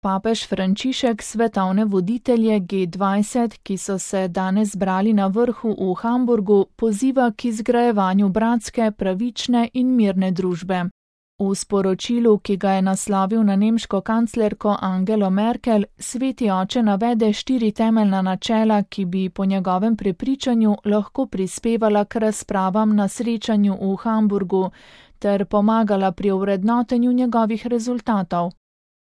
Papež Frančišek svetovne voditelje G20, ki so se danes zbrali na vrhu v Hamburgu, poziva k izgrajevanju bratske, pravične in mirne družbe. V sporočilu, ki ga je naslovil na nemško kanclerko Angelo Merkel, Sveti oče navede 4 temeljna načela, ki bi po njegovem prepričanju lahko prispevala k razpravam na srečanju v Hamburgu ter pomagala pri ovrednotenju njegovih rezultatov.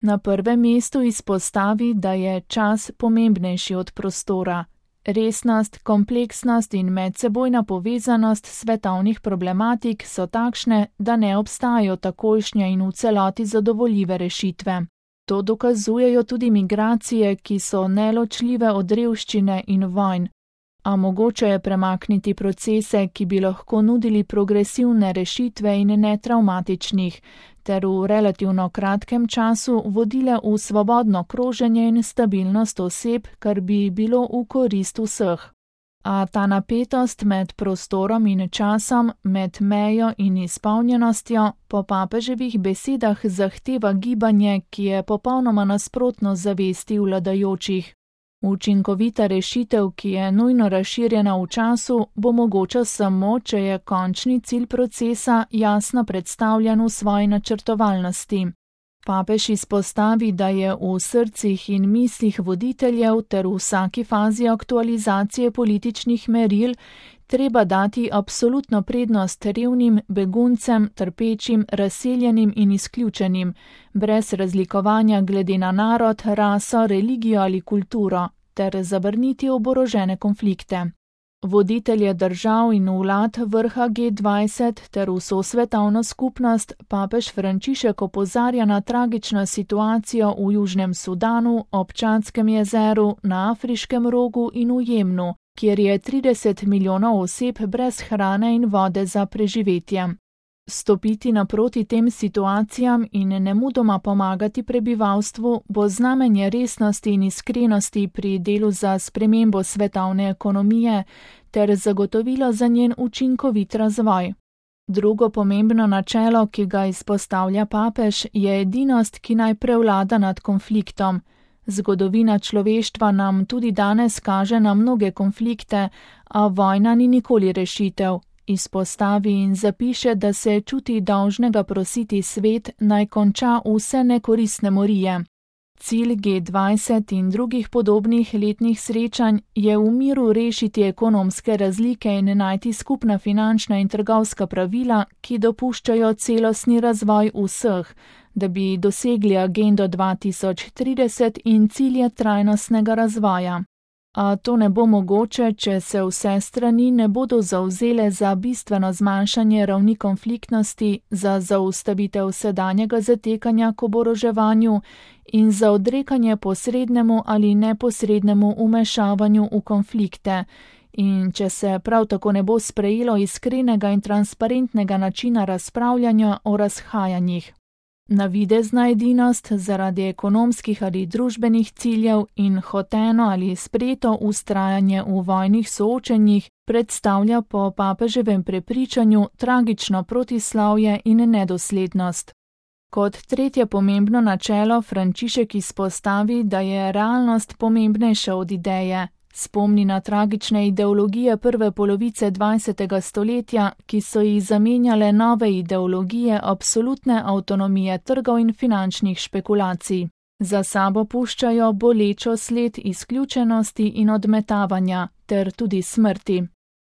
Na prvem mestu izpostavi, da je čas pomembnejši od prostora. Resnost, kompleksnost in medsebojna povezanost svetovnih problematik so takšne, da ne obstajajo takojšnje in v celoti zadovoljive rešitve. To dokazujejo tudi migracije, ki so neločljive od revščine in vojn. A mogoče je premakniti procese, ki bi lahko nudili progresivne rešitve in netravmatičnih, ter v relativno kratkem času vodile v svobodno kroženje in stabilnost oseb, kar bi bilo v korist vseh. A ta napetost med prostorom in časom, med mejo in izpolnjenostjo, po papeževih besedah zahteva gibanje, ki je popolnoma nasprotno zavesti vladajočih. Učinkovita rešitev, ki je nujno razširjena v času, bo mogoča samo, če je končni cilj procesa jasno predstavljen v svoji načrtovalnosti. Papež izpostavi, da je v srcih in mislih voditeljev ter v vsaki fazi aktualizacije političnih meril treba dati absolutno prednost revnim, beguncem, trpečim, razseljenim in izključenim, brez razlikovanja glede na narod, raso, religijo ali kulturo, ter zavrniti oborožene konflikte. Voditelje držav in vlad vrha G20 ter vso svetovno skupnost papež Frančišek opozarja na tragično situacijo v Južnem Sudanu, ob Čadskem jezeru, na Afriškem rogu in v Jemnu, kjer je 30 milijonov oseb brez hrane in vode za preživetje. Stopiti naproti tem situacijam in nemudoma pomagati prebivalstvu bo znamenje resnosti in iskrenosti pri delu za spremembo svetovne ekonomije ter zagotovilo za njen učinkovit razvoj. Drugo pomembno načelo, ki ga izpostavlja papež, je edinost, ki naj prevlada nad konfliktom. Zgodovina človeštva nam tudi danes kaže na mnoge konflikte, a vojna ni nikoli rešitev. Izpostavi in zapiše, da se čuti dolžnega prositi svet, naj konča vse nekoristne morije. Cilj G20 in drugih podobnih letnih srečanj je v miru rešiti ekonomske razlike in najti skupna finančna in trgovska pravila, ki dopuščajo celostni razvoj vseh, da bi dosegli agendo 2030 in cilje trajnostnega razvoja. A to ne bo mogoče, če se vse strani ne bodo zavzele za bistveno zmanjšanje ravni konfliktnosti, za zaustavitev sedanjega zatekanja k oboroževanju in za odrekanje posrednemu ali neposrednemu vmešavanju v konflikte. In če se prav tako ne bo sprejelo iskrenega in transparentnega načina razpravljanja o razhajanjih. Navidezna edinost zaradi ekonomskih ali družbenih ciljev in hoteno ali sprejeto vztrajanje v vojnih soočenjih predstavlja po papeževem prepričanju tragično protislavje in nedoslednost. Kot tretje pomembno načelo Frančišek izpostavi, da je realnost pomembnejša od ideje. Spomni na tragične ideologije prve polovice 20. stoletja, ki so jih zamenjale nove ideologije absolutne avtonomije trgov in finančnih špekulacij. Za sabo puščajo bolečo sled izključenosti in odmetavanja, ter tudi smrti.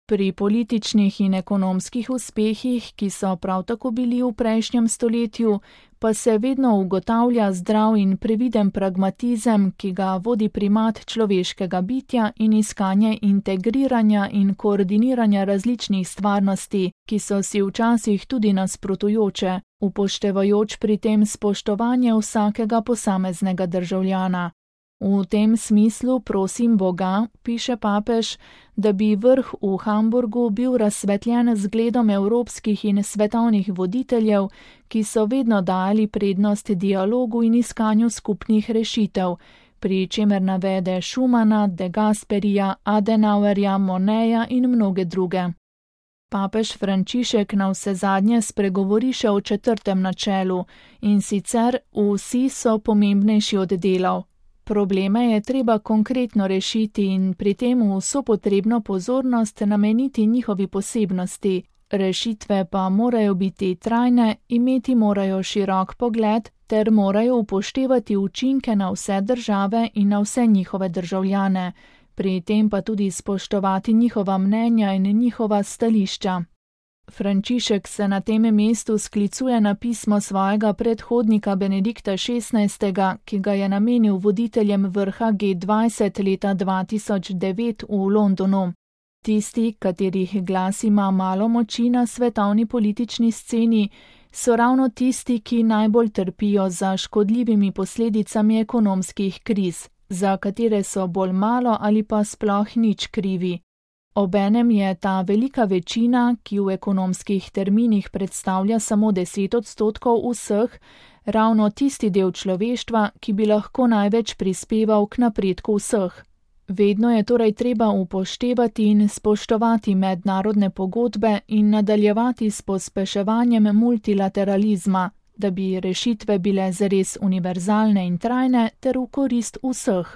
Pri političnih in ekonomskih uspehih, ki so prav tako bili v prejšnjem stoletju, pa se vedno ugotavlja zdrav in previden pragmatizem, ki ga vodi primat človeškega bitja in iskanje integriranja in koordiniranja različnih stvarnosti, ki so si včasih tudi nasprotujoče, upoštevajoč pri tem spoštovanje vsakega posameznega državljana. V tem smislu prosim Boga, piše papež, da bi vrh v Hamburgu bil razsvetljen z zgledom evropskih in svetovnih voditeljev, ki so vedno dali prednost dialogu in iskanju skupnih rešitev, pri čemer navede Schumana, De Gasperija, Adenauerja, Monneja in mnoge druge. Papež Frančišek navsezadnje spregovori še o 4. načelu, in sicer vsi so pomembnejši od delov. Probleme je treba konkretno rešiti in pri tem vso potrebno pozornost nameniti njihovi posebnosti. Rešitve pa morajo biti trajne, imeti morajo širok pogled ter morajo upoštevati učinke na vse države in na vse njihove državljane, pri tem pa tudi spoštovati njihova mnenja in njihova stališča. Frančišek se na tem mestu sklicuje na pismo svojega predhodnika Benedikta XVI., ki ga je namenil voditeljem vrha G20 leta 2009 v Londonu. Tisti, katerih glas ima malo moči na svetovni politični sceni, so ravno tisti, ki najbolj trpijo za škodljivimi posledicami ekonomskih kriz, za katere so bolj malo ali pa sploh nič krivi. Obenem je ta velika večina, ki v ekonomskih terminih predstavlja samo 10% vseh, ravno tisti del človeštva, ki bi lahko največ prispeval k napredku vseh. Vedno je torej treba upoštevati in spoštovati mednarodne pogodbe in nadaljevati s pospeševanjem multilateralizma, da bi rešitve bile zares univerzalne in trajne ter v korist vseh.